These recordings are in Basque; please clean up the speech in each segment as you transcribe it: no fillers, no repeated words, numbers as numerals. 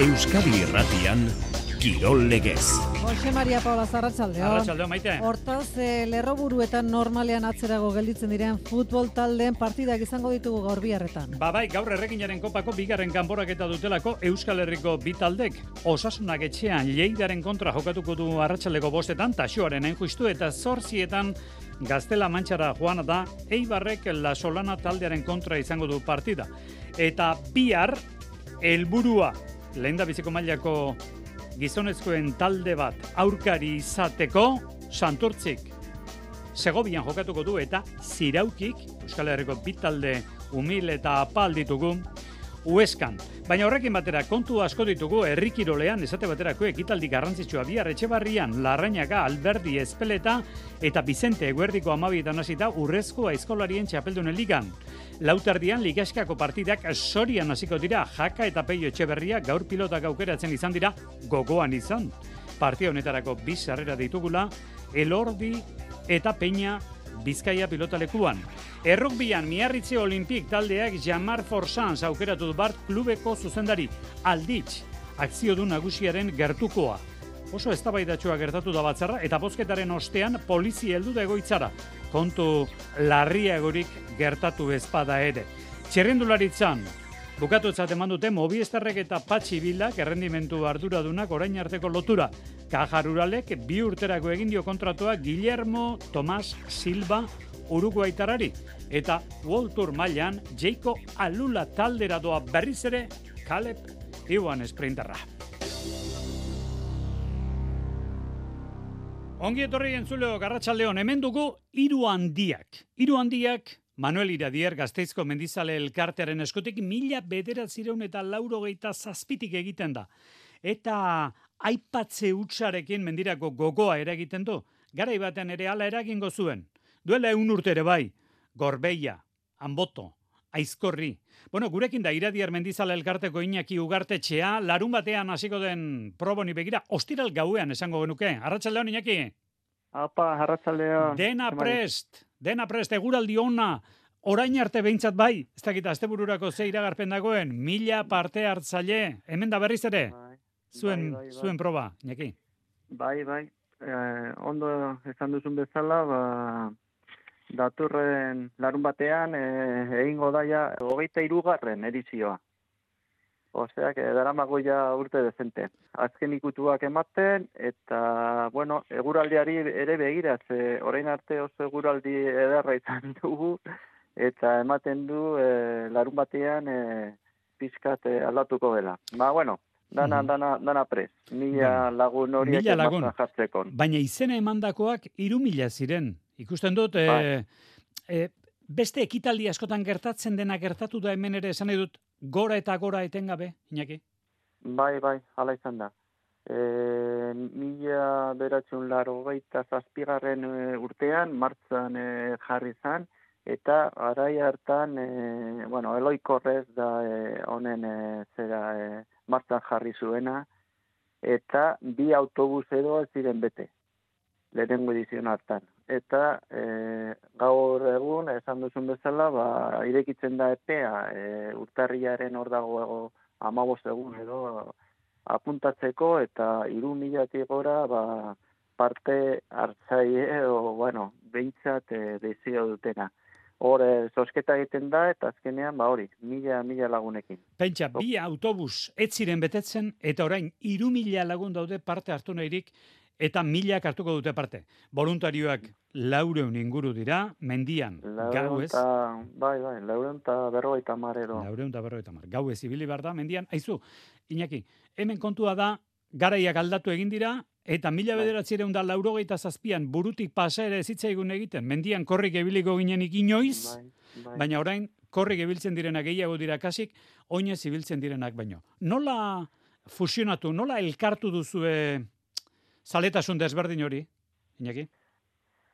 Euskadi Irratian, Kirol Legez. Jose Maria Paula, arratsaldeon. Arratsaldeon, Maite. Hortaz, lerroburuetan normalean atzerago gelditzen diren futbol taldeen partidak izango ditugu gaur biharretan. Bai, gaur Erreginaren kopako bigarren kanporaketa dutelako Euskal Herriko bi taldek. Osasunak etxean Lleidaren kontra jokatuko du arratsaldeko 5etan, Taxoaren Justu eta 8etan Gaztela Mantxara joan da, Eibarrek La Solana taldearen kontra izango du partida. Eta bihar helburua lehendabiziko mailako gizonezkoen talde bat aurkari izateko Santurtzik Segovian jokatuko du eta Ziraukik Euskal Herriko bi talde umil eta apal ditugu Hueskan. Baina horrekin batera kontu asko ditugu herrikirolean esate baterako ekitaldi garrantzitsua bihar Etxebarrian, Larrañaga, Alberdi, Ezpeleta eta Bizente Eguerdiko 12etan hasita Urrezko Aizkolarien Txapeldunen Ligan. Lauterdian Ligaskako partidak Sorian hasiko dira. Jaka eta Peio Etxeberria gaur pilotak aukeratzen izan dira gogoan izan. Partida honetarako bi sarrera ditugula Elordi eta Peña Bizkaia pilotalekuan. Errukbian Miarritze Olimpik taldeak Jamar Forsans aukeratu du bart klubeko zuzendari Alditz akzio du nagusiaren gertukoa. Oso eztabaidatsua gertatu da batzarra eta bozketaren ostean polizia heldu da egoitzara. Kontu larriagorik gertatu ezpada ere. Txirrindularitzan bukatutzat eman dute Movistarrek eta Patxi Bilak errendimentu arduradunak orain arteko lotura. Caja Ruralek 2 urterako egin dio kontratua Guillermo Tomás Silva uruguaitarari eta World Tour mailan Jaiko Alula taldera doa berriz ere Caleb Iwan sprinterra. Ongi etorri entzuleo Arratsaldeon, hemen dugu hiru handiak. Hiru handiak Manuel Iradier Gasteizko Mendizale elkartearen eskutik 1987 egiten da. Eta aipatze hutsarekin mendirako gogoa eragiten du. Garai baten ere hala eragingo zuen. Duela 100 urte ere bai. Gorbeia, Anboto, Aizkorri. Bueno, gurekin da Iradier Mendizale elkarteko Iñaki Ugartetxea, larun batean hasiko den proboni begira, ostiral gauean esango genuke. Arratsaldeon Iñaki. Apa, arratsaldeon. Dena prest, eguraldi ona. Orain arte behintzat bai, ez dakit astebururako ze iragarpen dagoen, 1000 parte hartzaile, hemen da berriz ere. Zuen proba, Iñaki. Bai. Ondo esan duzun bezala, datorren larun batean egingo daia 23. edizioa. Osea, daramago ja urte dezente. Azken ikutuak ematen, eta, bueno, eguraldiari ere begiraz, orain arte oso eguraldi ederra izan dugu, eta ematen du larun batean pizkat aldatuko dela. Bueno, dana prest. 1000 lagun horiek emazan jartzeko. Baina izena emandakoak 3000 ziren. Ikusten dut, beste ekitaldi askotan gertatzen dena gertatu da hemen ere esan dut gora eta gora etengabe, Iñaki? Bai, hala izan da. 1987 urtean, martzan jarri zan, eta garai hartan, Eloi Korrez da honen martzan jarri zuena, eta 2 autobus edo ez ziren bete, lehenengo edizion hartan. Eta gaur egun, esan duzun bezala, irekitzen da epea, urtarriaren hor dago 15 egun edo apuntatzeko, eta 3000 gora parte hartzaile edo, behintzat dezio dutena. Hor, zosketa egiten da, eta azkenean, 1000 lagunekin. Pentsa, 2 autobus ez ziren betetzen, eta orain 3000 lagun daude parte hartu nahirik, eta 1000 hartuko dute parte. Voluntarioak 400 inguru dira, mendian, gauez. Bai, 450 edo. 450. Gauez ibili behar da, mendian. Aizu, Iñaki, hemen kontua da, garaiak aldatu egin dira, eta 1987an burutik pasa ere zitzaigun egiten. Mendian korrik ebiliko ginenik inoiz, baina orain korrik ebiltzen direnak gehiago dira kasik, oinez ibiltzen direnak baino. Nola fusionatu, nola elkartu duzue zaletasun desberdin hori, Iñaki?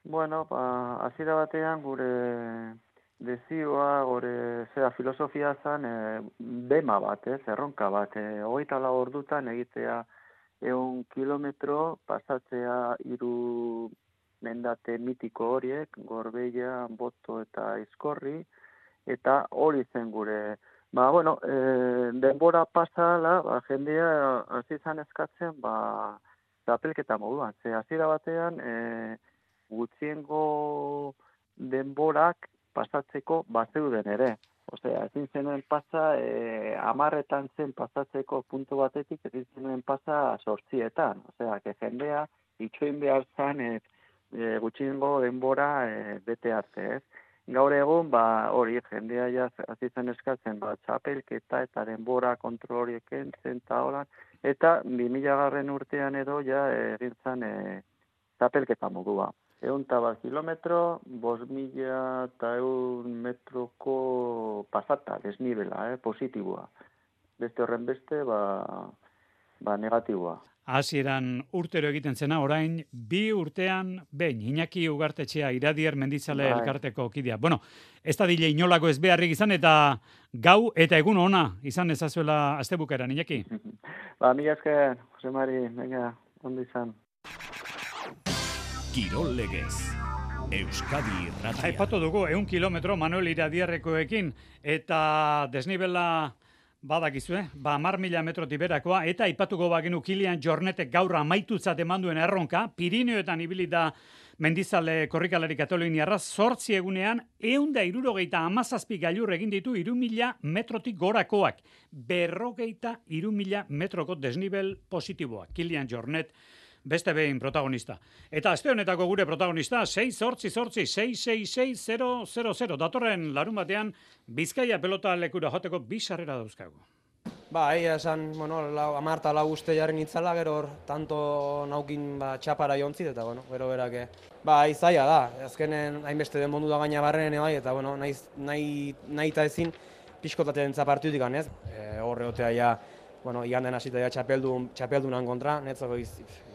Hasiera batean gure dezioa, gure filosofia zen bema bat, erronka bat. 24 ordutan egitea 100 kilometro pasatzea 3 mendate mitiko horiek, Gorbeia, Anboto eta Aizkorri, eta hori zen gure Bueno, denbora pasala, jendea hasi izan eskatzen, txapelketa moduan. Ze hasiera batean, gutxiengo denborak pasatzeko bazeuden ere. Osea, ezin zenuen pasa, 10 zen pasatzeko puntu batetik, ezin zenuen pasa 8. Osea, jendea itxoin behar zen gutxiengo denbora bete arte, ez? Gaur egun, hori, jendea ja hasi zen eskatzen, txapelketa eta denbora kontrol horiek entzen eta holan, eta 2000 urtean edo ja egin zen txapelketa modua. 100 kilometro, 5.100 metroko pasata, desnibela, positiboa. Beste horren beste, negatiboa. Hasieran urtero egiten zena, orain 2 urtean behin, Iñaki Ugartetxea Iradier Mendizale elkarteko kidea. Bueno, ez da dile inolako ez beharrik izan, eta gau eta egun ona izan ezazuela astebukaeran, Iñaki. Mila esker, Jose Mari, venga, ondo izan. Kirol Legez, Euskadi Irratia. Aipatu dugu, 100 kilometro Manuel Iradierrekoekin, eta desnibela badakizue, 10.000 metrotik berakoa, eta aipatuko bagenu Kilian Jornetek gaur amaitutzat emanduen erronka, Pirineoetan ibili da Mendizale korrikalari kataluniarra, 8 egunean 167 gailur egin ditu 3.000 metrotik gorakoak, 53.000 metroko desnibel positiboak. Kilian Jornet beste behin protagonista. Eta aste honetako gure protagonista 6-8-6-6-6-6-0-0-0. Datorren larun batean Bizkaia pelota lekura joteko 2 sarrera dauzkagu. Egia esan, 10 uste jarri nitzala, gero hor, tanto naukin txapara jontzit, eta gero berak. Izaia da, azkenen hainbeste den mondu da gaina barrenen bai, eta nahi eta ezin pixkotatzen zapartutik ganez. Horre otea ja, iganden hasita ja txapeldunan kontra, netzako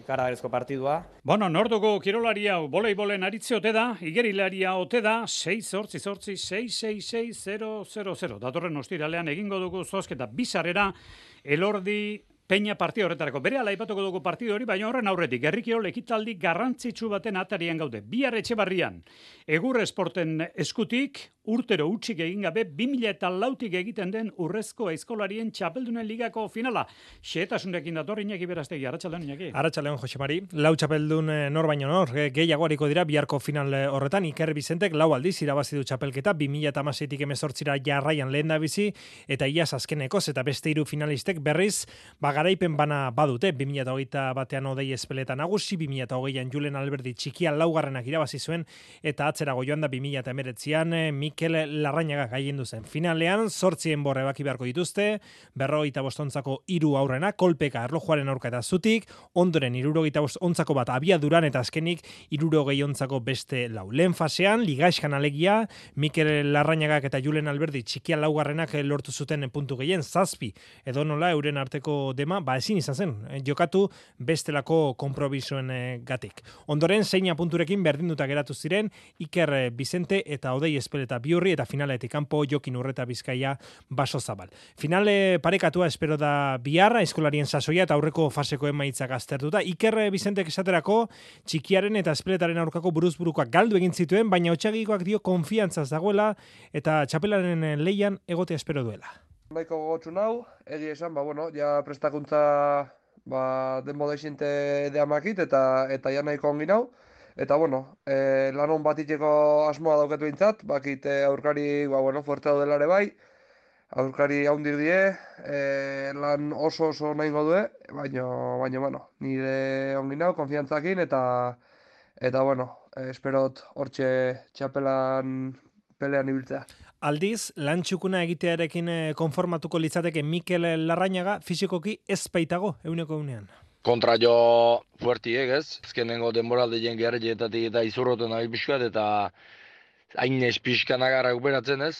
ikaragarrizko partidua. Norduko kirolari hau voleibolen aritze ote da, igerilaria ote da, 6-8-6-6-6-6-0-0-0. Datorren ostiralean egingo dugu zozketa 2 sarrera Elordi Peña partido horretarako. Berehala aipatuko dugu partido hori, baina horren aurretik herrikirol ekitaldi garrantzitsu baten atarian gaude. Bihar Etxebarrian, Egur Esporten eskutik, urtero utzik egin gabe 2004tik egiten den urrezko aizkolarien txapeldunen ligako finala. Xehetasunekin dator Iñaki Berastegi, arratsaldeon Iñaki. Arratsaldeon Jose Mari. 4 txapeldun nor baino nor, gehiago hariko dira biharko final horretan. Iker Bizentek 4 aldiz irabazi du txapelketa, 2016tik 18 jarraian lehendabizi, eta iaz azkenekoz eta beste 3 finalistek berriz garaipen bana badute. 2021ean Odei Espeleta nagusi, 2020an Julen Alberdi txikia 4garrenak irabazi zuen, eta atzerago joan da 2019an Mikel Larrañaga gailendu zen. Finalean 8 enbor ebaki beharko dituzte, 55ontzako 3 aurrena, kolpeka erlojuaren aurka eta zutik, ondoren 65ontzako bat abiaduran, eta azkenik 60ontzako beste 4. Lehen fasean, ligaiskan alegia, Mikel Larrañagak eta Julen Alberdi txikia 4garrenak lortu zuten puntu gehien, 7, edo nola euren arteko dema, ezin izan zen, jokatu bestelako konprobisoen gatik. Ondoren, 6 punturekin berdinduta geratu ziren, Iker Bizente eta Odei Espeleta Biurri, eta finaletik kanpo Jokin Urreta Bizkaia Baso Zabal. Finale parekatua espero da bihar, aizkolarien sasoia eta aurreko faseko emaitzak aztertuta. Iker Bizentek esaterako txikiaren eta Espeletaren aurkako buruzburukoak galdu egin zituen, baina Otsagikoak dio konfiantzaz dagoela eta txapelaren leian egotea espero duela. Baiko gogotsu nau, egia esan, ja prestakuntza denbo deixinte deamakit eta ja nahiko ongi nau. Eta, lanon batiteko asmoa dauketu intzat, bakit aurkari, fuerte daudelare bai, aurkari haundik die, lan oso nahingo due, baina, nire ongi nau, konfiantzakin, eta esperot hortxe txapelan pelean ibiltzea. Aldiz, lan txukuna egitearekin konformatuko litzateke Mikel Larrañaga fisikoki ez baitago, 100%. Kontra jo fuertiek, ez? Ezkenengo denboraldien gerrietatik eta izurroten nahi pixkat, eta hain ez pixkanagarra uperatzen ez?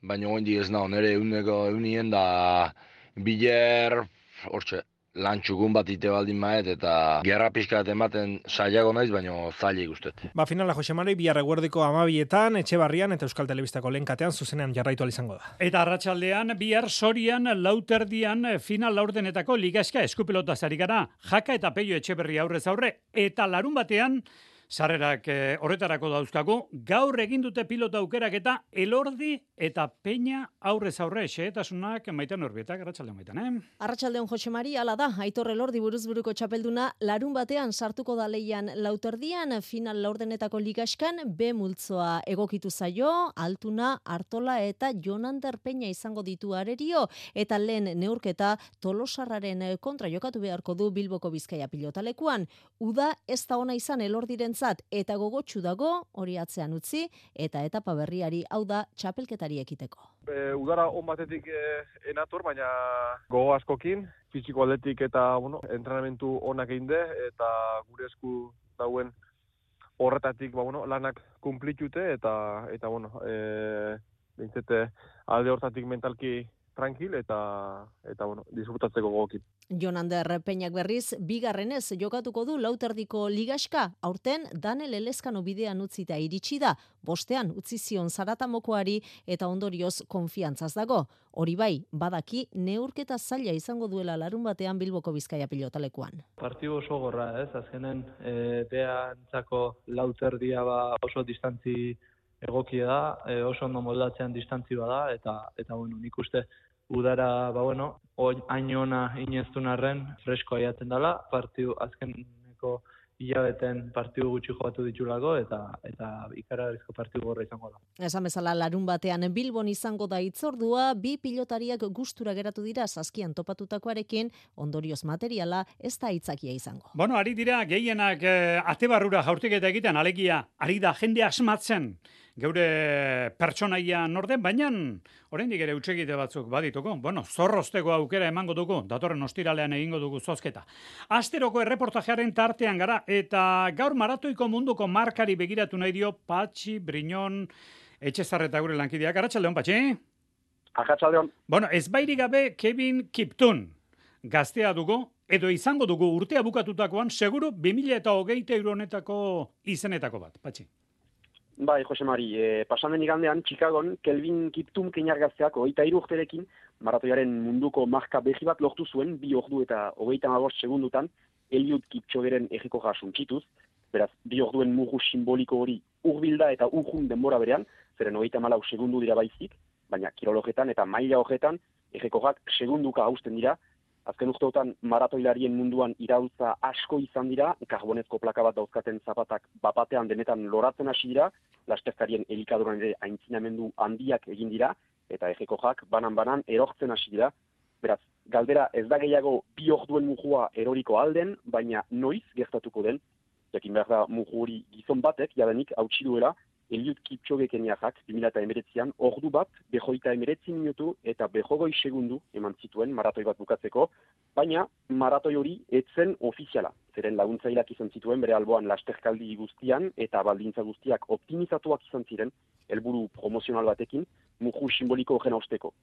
Baina oindik ez nao, nire eunien da biler, hortxe, lan txukun bat ite baldin maet, eta gerra pixkat ematen saiago naiz, baina zaila ikustet. Finala Jose Mari, bihar eguerdiko 12etan, Etxebarrian eta Euskal Telebistako lehen katean zuzenean jarraitu izango da. Eta arratsaldean bihar Sorian lauterdian final laurdenetako ligaska eskupelota zari gara, Jaka eta Peio Etxeberri aurrez aurre, eta larun batean Sarrerak horretarako dauzkagu, gaur egin dute pilota aukerak eta Elordi eta Peña aurrez aurre xehetasunak Maiten Urbietak, arratsaldeon Maiten, Arratsaldeon Jose Mari, hala da, Aitor Elordi buruzburuko txapelduna larun batean sartuko da leian lauterdian, final laurdenetako ligaskan, B multzoa egokitu zaio, Altuna, Artola eta Jonander Peña izango ditu arerio, eta lehen neurketa Tolosarraren kontra jokatu beharko du Bilboko Bizkaia pilotalekuan. Uda ez da ona izan Elordirentzat eta gogotsu dago hori atzean utzi eta etapa berriari, hau da txapelketari ekiteko. Udara on batetik enator, baina gogo askokin, fisiko aldetik eta entrenamentu onak egin de, eta gure esku dauen horretatik lanak kumplitute eta bintzete alde hortatik mentalki tranquil eta disfrutatzeko gogokin. Jonander Peñak berriz, bigarrenez jokatuko du lauterdiko ligaska, aurten Danel Elezkano bidean utzita iritsi da, bostean utzi zion Zaratamokoari eta ondorioz konfiantzaz dago. Hori bai, badaki neurketa zaila izango duela larun batean Bilboko Bizkaia pilotalekuan. Partidu oso gorra, azkenen beantzako lauterdia oso distantzi egokia da, oso ondo moldatzean distantzi bada, eta nik uste udara, hain ona ineztun arren, fresko aiatzen dela, partidu azkeneko hilabeten partidu gutxi jokatu ditulako, eta ikaragarrizko partidu gorra izango da. Esan bezala larun batean Bilbon izango da hitzordua, bi pilotariak gustura geratu dira saskian topatutakoarekin, ondorioz materiala ez da aitzakia izango. Ari dira gehienak ate barrura jaurtiketa egiten, alegia, ari da jende asmatzen, geure pertsonaia norden, baina oraindik ere hutsegite batzuk badituko. Zorrozteko aukera emango dugu, datorren ostiralean egingo dugu zozketa. Asteroko erreportajearen tartean gara, eta gaur maratoiko munduko markari begiratu nahi dio Patxi Briñon Etxezarreta gure lankideak. Arratsaldeon, Patxi? Arratsaldeon. Ez bairik gabe Kevin Kiptun gaztea dugu, edo izango dugu urtea bukatutakoan, seguru 2023 honetako izenetako bat, Patxi. Bai, Jose Mari, pasan den igandean, Chicagon, Kelvin Kiptum keinar gazteak 23 urterekin, maratoiaren munduko marka berri bat lortu zuen, 2 ordu eta 35 segundutan, Eliud Kipchogeren ejikoja suntsituz, beraz, 2 orduen mugu simboliko hori urbilda eta urjun denbora berean, zeren 34 segundu dira baizik, baina kirologetan eta maila horretan, ejikojak segunduka hausten dira. Azken urteotan maratoilarien munduan iraultza asko izan dira, karbonezko plaka bat dauzkaten zapatak bapatean denetan loratzen hasi dira, lasterkarien elikaduran ere aintzinamendu handiak egin dira, eta ejekojak banan-banan erortzen hasi dira. Beraz, galdera ez da gehiago 2 orduen mugua eroriko alden, baina noiz gertatuko den, jakin behar da mugu hori gizon batek, jadenik hautsi duela, Eliud Kipchoge keniarrak 2019an ordu bat, 29 minutu eta 20 segundu eman zituen maratoi bat bukatzeko, baina maratoi hori etzen ofiziala. Zeren laguntzailak izan zituen bere alboan lasterkaldi guztian eta baldintza guztiak optimizatuak izan ziren, helburu promozional batekin, mugu simboliko horren hausteko.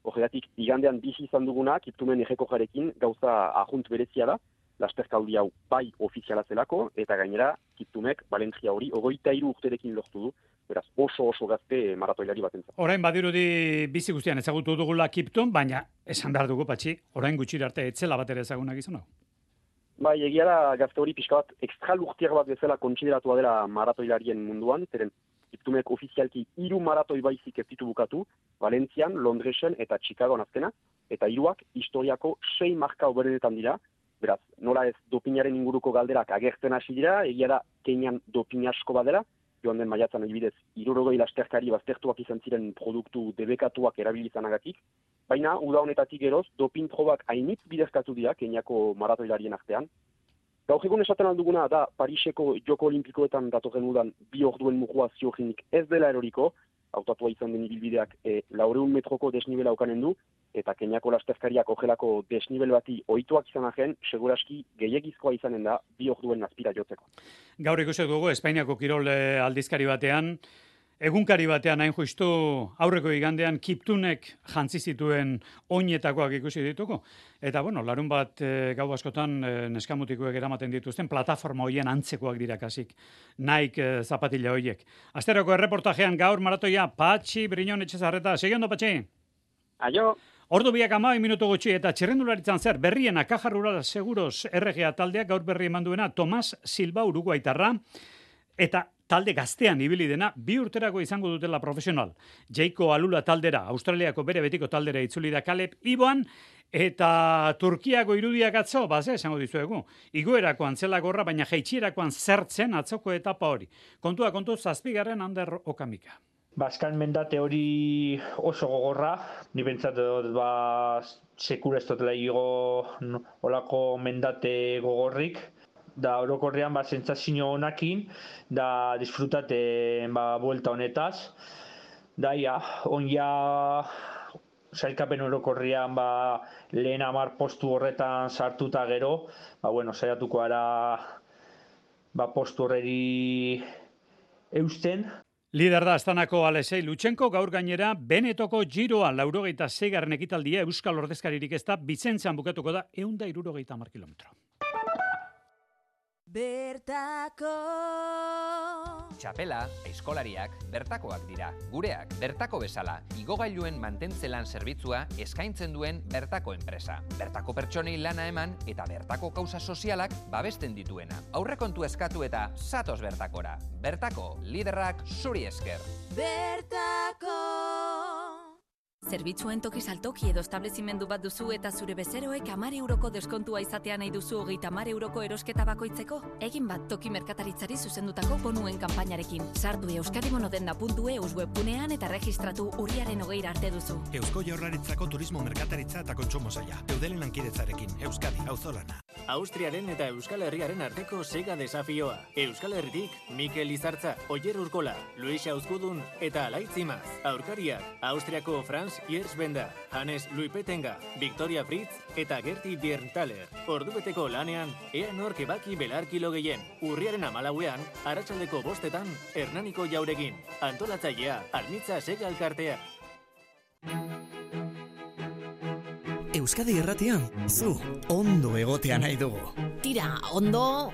Horregatik, igandean bizi izan duguna, Kiptumen ejekojarekin gauza ajunt berezia da, lasterkaldi hau bai ofiziala zelako, eta gainera, Kiptumek Valentzia hori 23 urterekin lortu du, beraz oso gazte maratoilari batentzat. Orain badirudi bizi guztian ezagutu dugula Kiptum, baina esan behar dugu, Patxi, orain gutxira arte etzela bat ere ezagunak izan hau? Bai, egia da gazte hori pixka bat extra lurtiar bat bezala kontsideratua dela maratoilarien munduan, zeren Kiptumek ofizialki 3 maratoi baizik ez ditu bukatu, Valentzian, Londresen eta Chicagoan azkena, eta 3ak historiako 6 marka oberenetan dira. Beraz, nola ez dopinaren inguruko galderak agertzen hasi dira, egia da Kenian dopin asko badela, joan den maiatzan adibidez 60 lasterkari baztertuak izan ziren produktu debekatuak erabilizanagatik, baina uda honetatik geroz dopin probak hainitz bidezkatu dira Keniako maratoilarien artean. Gaur egun esaten alduguna da Pariseko Joko Olimpikoetan datorren udan 2 orduen mugua ziogenik ez dela eroriko, hautatua izan den ibilbideak 400 metroko desnibela ukanen du, eta Keniako lasterkariak ojelako desnibel bati ohituak izan ahen, seguraski gehiagizkoa izanen da 2 orduen azpira jotzeko. Gaur ikusi dugu Espainiako kirol aldizkari batean, egunkari batean hain justu aurreko igandean Kiptunek jantzi zituen oinetakoak ikusi dituko. Eta larun bat gau askotan neskamutikoek eramaten dituzten plataforma hoien antzekoak dira kasik. Nike zapatila hoiek. Asteroko erreportajean gaur maratoia Patxi Briñon Etxezarreta. Segiondo, Patxi? Aio! Ordu biak 12 minutu gutxi eta txirrendularitzan zer berriena Caja Rural Seguros RGA taldeak gaur berri eman duena Tomas Silva uruguaitarra. eta talde gaztean ibili dena, 2 urterako izango dutela profesional. Jaiko Alula taldera, Australiako bere betiko taldera itzuli da Caleb Iboan, eta Turkiako irudiak atzo, esango dizuegu, igoerako antzelagorra, baina jaitsirakoan zertzen atzoko etapa hori. Kontua kontu 7. Ander Okamika. Azken mendate hori oso gogorra, ni bentsat sekura ez dutela igo olako mendate gogorrik, da orokorrean sentsazio honakin, da disfrutaten buelta honetaz, da sailkapen orokorrean lehen 10 postu horretan sartuta gero, saiatuko gara postu horreri eusten. Lider da Astanako Alexei Lutsenko, gaur gainera Benetoko Giroan 86. ekitaldia Euskal ordezkaririk ez da, Bizentzan bukatuko da 170 kilometro. Bertako Txapela, aizkolariak, bertakoak dira. Gureak, bertako bezala, igogailuen mantentzelan zerbitzua eskaintzen duen bertako enpresa. Bertako pertsonei lana eman eta bertako kausa sozialak babesten dituena. Aurrekontu eskatu eta zatoz bertakora. Bertako, liderrak zuri esker. Bertako Zerbitzuen toki saltoki edo establezimendu bat duzu eta zure bezeroek 10 euroko deskontua izatea nahi duzu 30 euroko erosketa bakoitzeko? Egin bat toki merkataritzari zuzendutako bonuen kanpainarekin. Sartu euskadibonodenda.eus webgunean eta registratu urriaren 20 arte duzu. Eusko Jaurlaritzako turismo merkataritza eta kontsumo saila. Eudelen lankidetzarekin, Euskadi, auzolana. Austriaren eta Euskal Herriaren arteko sega desafioa. Euskal Herritik, Mikel Izartza, Oier Urkola, Luisa Uzkudun eta Alaitzimaz. Aurkariak, Austriako Franz Yersbenda, Hannes Luipetenga, Victoria Fritz eta Gerti Bierntaler. Ordubeteko lanean, ea nork ebaki belarkilo gehien. Urriaren 14ean, arratsaldeko 5etan, Hernaniko Jauregin. Antolatzailea, Almitza Sega Elkartea. Euskadi Irratian, zu ondo egotea nahi dugu. Tira, ondo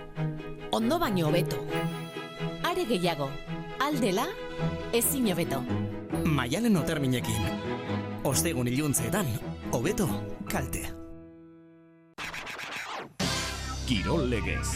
baino hobeto. Are gehiago, aldela, ezin hobeto. Maialen Oterminekin. Ostegun iluntzeetan, hobeto kalte. Kirol legez,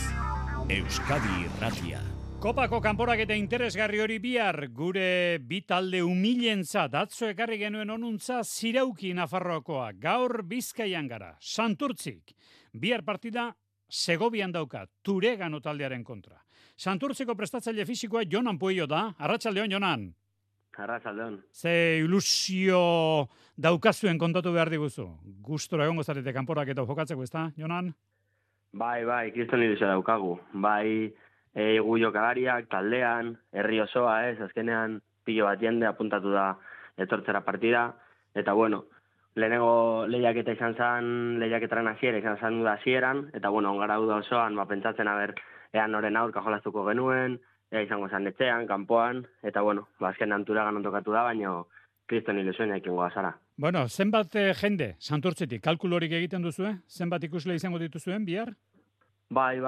Euskadi Irratia. Kopako kanporaketa interesgarri hori bihar, gure bi talde umilentzat atzo ekarri genuen onuntza Zirauki Nafarroakoa, gaur Bizkaian gara, Santurtzik. Bihar partida Segovian dauka, Turegano taldearen kontra. Santurtziko prestatzaile fisikoa Jonan Pueyo da, arratsaldeon Jonan. Arratsaldeon. Ze ilusio daukazuen kontatu behar diguzu. Gustora egongo zarete kanporaketa jokatzeko, ezta, Jonan? Bai, kriston ilusio daukagu. Bai, gu jokalariak, taldean, herri osoa, azkenean pilo bat jende apuntatu da etortzera partida, eta bueno, lehenengo lehiaketa izan zen, lehiaketaren hasiera izan zen da hasieran, eta bueno, ongara da osoan, pentsatzen ean noren aurka jolastuko genuen, izango zen etxean, kanpoan, eta bueno, azkenean Turagan tokatu da, baina kriston ilusioa ikingo azara. Bueno, zenbat jende, Santurtzitik, kalkulorik egiten duzue? Zenbat ikusle izango dituzuen bihar? Bai.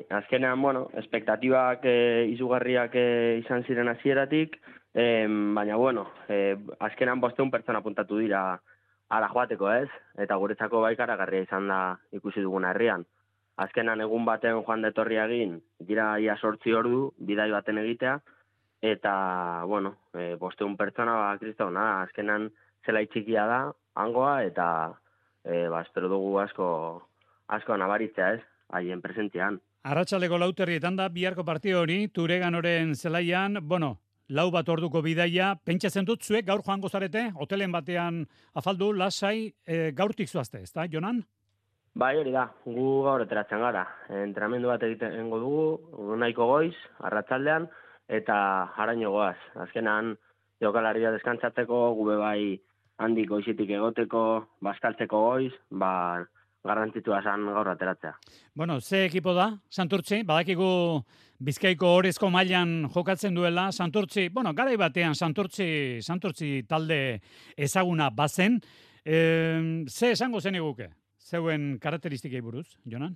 Azkenean, bueno, espektatibak izugarriak izan ziren hasieratik, baina, bueno, azkenean 500 pertsona apuntatu dira ara joateko, ez? Eta guretzako baikaragarria izan da ikusi duguna herrian. Azkenan egun baten joan detorria egin, dira ia 8 ordu, bidai baten egitea, eta, bueno, 500 pertsona, kristona, azkenan zela txikia da, hangoa, eta espero dugu asko nabaritzea, ez? Haien presentzian. Arratsaldeko 4:00 da biharko partida hori, Tureganoren zelaian, bueno, 4 bat orduko bidaia, pentsatzen dut zuek gaur joango zarete, hotelen batean afaldu, lasai, gaurtik zoazte, ezta, Jonan? Bai, hori da, gu gaur eteratzen gara. Entrenamendu bat egitengo dugu, nahiko goiz, arratsaldean, eta haraino goaz. Azkenan, jokalaria deskantzatzeko, gube bai handik goizitik egoteko, bazkaltzeko goiz, garrantzitsua zen gaur ateratzea. Bueno, ze ekipo da, Santurtzi? Badakigu Bizkaiko orezko mailan jokatzen duela, Santurtzi, bueno, garai batean Santurtzi talde ezaguna bazen. Ze esango zen eguke? Zeuen karakteristikei buruz, Jonan?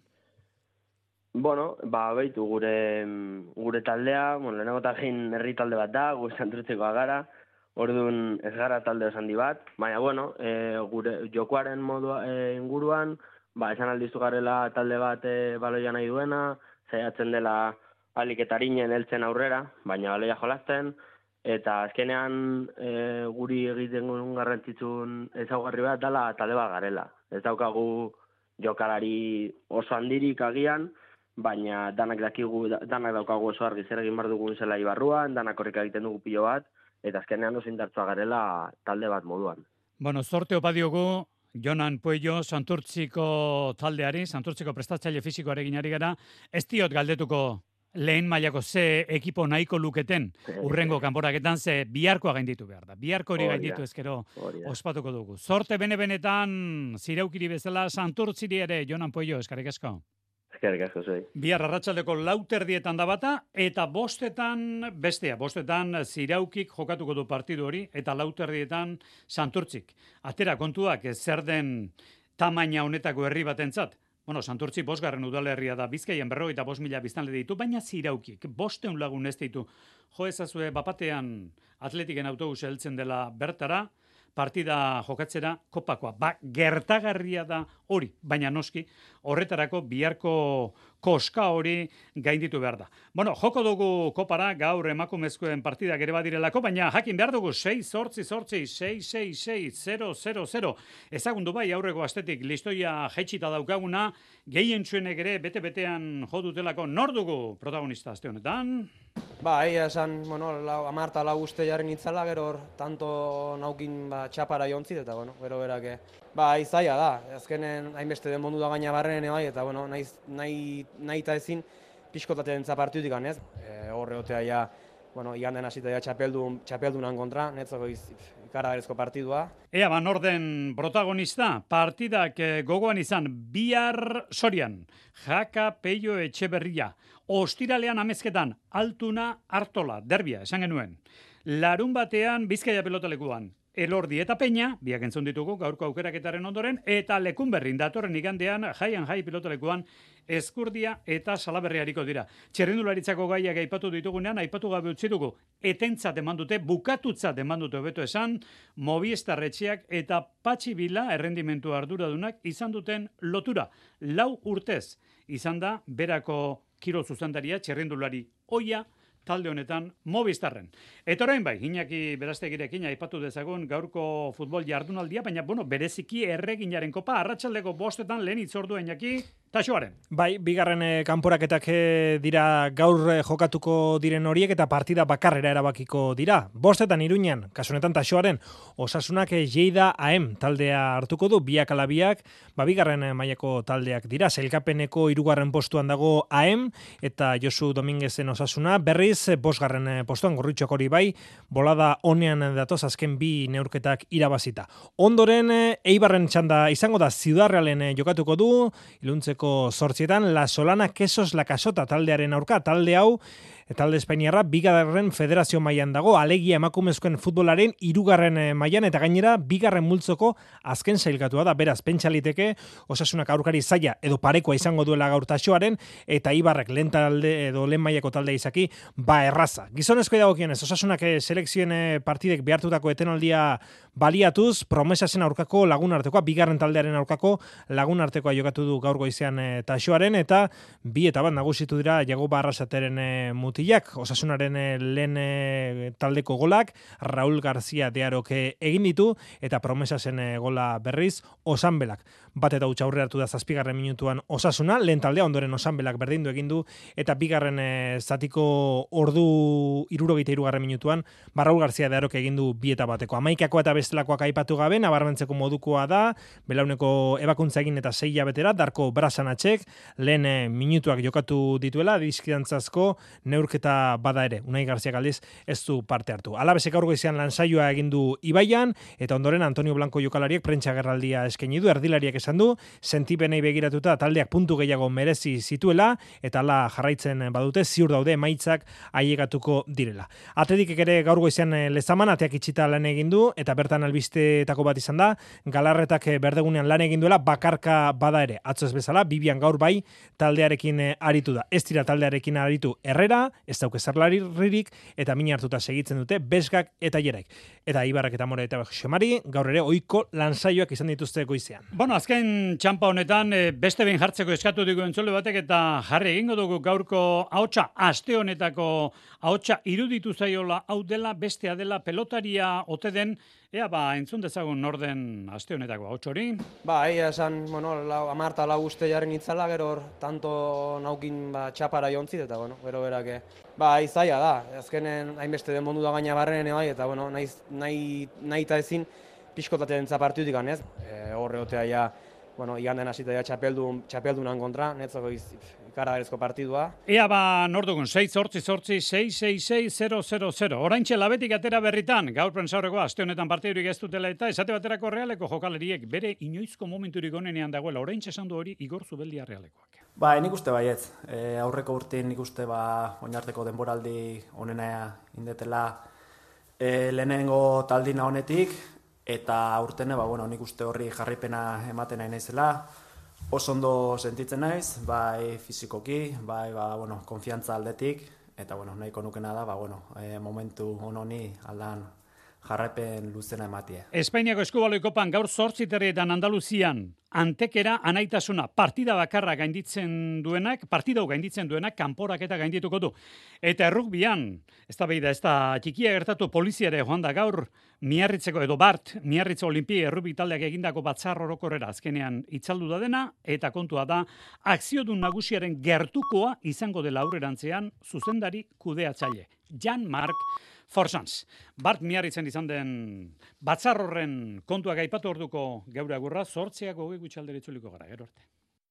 Bueno, behitu gure taldea, lehenago egin herri talde bat da, gu Santurtzikoa gara, orduan ez gara talde osandi bat, baina, bueno, gure jokoaren modua inguruan, esan aldizu garela talde bat baloia nahi duena, zaiatzen dela aliketarinen heltzen aurrera, baina baloia jolasten, eta azkenean guri egiten guen garrantzitsuen ezaugarri bat dela talde bat garela. Ez daukagu jokalari oso handirik agian, baina danak daukagu oso argi zer egin behar dugun zela ibarruan, danak horrek egiten dugu pilo bat, eta azkenean oso indartsua garela talde bat moduan. Bueno, zorte opa diogu, Jonan Puello, Santurtziko taldeari, Santurtziko prestatzaile fisikoarekin ari gara, ez diot galdetuko lehen mailako ze ekipo nahiko luketen urrengo kanporaketan ze biharkoa gainditu behar da. Biharko hori gainditu ezkero ospatuko dugu. Zorte bene-benetan zireukiri bezala Santurtziri ere, Jonan Puello, eskerrik asko. Eskerrik asko zoi. Bihar arratsaldeko 4:00 da bata, eta 5:00 bestea. 5:00 Ziraukik jokatuko du partidu hori, eta 4:00 Santurtzik. Atera kontuak zer den tamaina honetako herri batentzat. Bueno, Santurtzi 5. udalerria da, Bizkaian 45.000 biztanle ditu, baina Ziraukik 500 lagun ez ditu. Jo ezazue bapatean Atletiken autobus heltzen dela bertara, partida jokatzera kopakoa. Gertagarria da hori, baina noski, horretarako biharko koska hori gainditu behar da. Bueno, joko dugu kopara, gaur emakumezkoen partidak ere badirelako, baina jakin behar dugu 6-8-6-6-6-0-0-0. Ezagundu bai, aurreko astetik listoia jaitsita daukaguna, gehien txuenek ere bete-betean jo dutelako nor dugu protagonista aste honetan? Egia esan, 10 uste jarri nitzala, gero tanto naukin txapara jontzit, eta gero berak, izaia da, azkenen hainbeste den mondu da gaina barren, eta nahi eta ezin pixkotatzen zapartiutik ganez. Horre otea ja, iganden hasita ja txapeldunan kontra, netzako ikaragarrizko partidua. Ea, norden protagonista, partidak gogoan izan, bihar Sorian, Jaka Peio Etxeberria, ostiralean amezketan, Altuna Artola, derbia, esan genuen. Larun batean, Bizkaia pelotalekuan, Elordi eta Peña, biak entzun ditugu gaurko aukeraketaren ondoren, eta Lekunberrin datorren igandean, Jai pilotalekuan, Ezkurdia eta Salaberriariko dira. Txerrindularitzako gaiak aipatu ditugunean, aipatu gabe utzi dugu, etentzat eman dute, bukatutzat eman dute hobeto esan, Movistar etxeak eta Patxi Bila errendimentu arduradunak izan duten lotura. 4 urtez izan da berako kirol zuzendaria txerrindulari oia talde honetan Movistarren. Eta orain bai, Iñaki Berastegirekin aipatu dezagun gaurko futbol jardunaldia, baina bereziki erreginaren kopa arratsaldeko 5:00 lehen itzordua Iñaki Taxoaren. Bai, bigarren kanporaketak dira gaur jokatuko diren horiek eta partida bakarrera erabakiko dira. 5:00 Iruñan, kasu honetan Taxoaren, Osasunak Lleida AM taldea hartuko du, biak ala biak, bigarren mailako taldeak dira. Sailkapeneko 3. postuan dago AM eta Josu Dominguezen Osasuna, berriz 5. postuan Gorritxok hori bai, bolada honean datoz azken 2 neurketak irabazita. Ondoren Eibarren txanda izango da, Ciudad Realen jokatuko du, iluntzeko 8:00 La Solana Quesos La Casota taldearen aurka, talde hau talde espainiarra bigarren federazio mailan dago, alegia emakumezkoen futbolaren 3. mailan eta gainera bigarren multzoko azken sailkatua da, beraz pentsaliteke Osasunak aurkari zaila edo parekoa izango duela gaur Taxoaren eta Ibarrek lehen talde edo lehen mailako talde izaki erraza. Gizonezkoei dagokionez Osasunak selekzioen partidek behartutako etenaldia baliatuz, Promesasen aurkako lagunartekoa, bigarren taldearen aurkako lagunartekoa jokatu du gaur goizean Taxoaren eta 2-1 nagusitu dira Jagoba Arrasateren mutilak, Osasunaren lehen taldeko golak, Raúl García de Arok egin ditu, eta Promesasen gola berriz, Osanbelak. Bat eta utxa aurre hartu da 7. minutuan Osasuna, lehen taldea ondoren Osanbelak berdindu egin du, eta bigarren zatiko ordu 63. minutuan, Raúl García de Arok egin du 2-1. Amaikakoa eta bestelakoak aipatu gabe, nabarmentzeko modukoa da, belauneko ebakuntza egin eta 6 hilabetera, Darko Brasanatxek, lehen minutuak jokatu dituela, dizkidantzazko neurketa bada ere, Unai Garziak aldiz ez du parte hartu. Alabesek aurgo izan lansaioa egin du Ibaian, eta ondoren Antonio Blanco jokalariek prentsa gerraldia eskaini du, erdilariak esan du, sentipenei begiratuta taldeak puntu gehiago merezi zituela, eta ala jarraitzen badute, ziur daude emaitzak ailegatuko direla. Atletikek ere gaur goizean Lezaman, ateak itxita lan egin du, eta bertan albisteetako bat izan da, Galarretak berdegunean lan egin duela, bakarka bada ere, atzo ez bezala, Bibian gaur bai taldearekin aritu da. Ez dira taldearekin aritu Herrera, ez dauke zerlaririk, eta mina hartuta segitzen dute Besgak eta Jeraik. eta Ibarrak eta More eta Xomari, gaur ere ohiko lansaioak izan dituzte goizean. Bueno, azken txampa honetan beste behin jartzeko eskatu dugu entzule batek eta jarri egingo dugu gaurko ahotsa, aste honetako ahotsa iruditu zaiola hau dela, bestea dela pelotaria ote den, ea entzun dezagun norden aste honetako ahots hori. Egia esan, amarta lau uste jarri nitzala, gero hor, tanto naukin txapara jontzit, eta gero berak, izaia da, azkenen hainbeste den mondu da gaina barrenen, eta nahi eta ezin pixkotatzen zapartutik ganez. Horre otea ja, iganden hasita ja txapeldunan kontra, netzako ikaragarrizko partidua. Ea nor dugun, 6-8-6-6-6-6-0-0-0. Oraintxe labetik atera berritan, gaur prentsaurreko aste honetan partidurik ez dutela eta esate baterako Realeko jokaleriek bere inoizko momenturik onenean dagoela. Oraintxe esan du hori Igor Zubeldia Realekoak. Nik uste baietz. Aurreko urtean nik uste oinarteko denboraldi onena indetela lehenengo taldina honetik, eta aurtene, nik uste horri jarripena ematen nahi naizela. Oso ondo sentitzen naiz, bai fizikoki, bai konfiantza aldetik, eta nahiko nukena da, momentu honi aldan jarraipen luzena ematie. Espainiako Eskubaloi Kopan gaur 8 terrietan Andaluzian Antekera anaitasuna partida bakarra gainditzen duenak, kanporaketa gaindituko du. Eta errugbian, ez da txikia gertatu poliziare joan da gaur, Miarritzeko edo Miarritze Olimpi errugbi taldeak egindako batzar orokorrera azkenean itzaldu da dena, eta kontua da, akziodun nagusiaren gertukoa izango dela aurrerantzean zuzendari kudeatzaile. Jan-Marc Forsans. Miarritzen izan den batzar horren kontuak aipatu orduko geure agurra, 8:00 gutxaldera itzuliko gara, gero arte.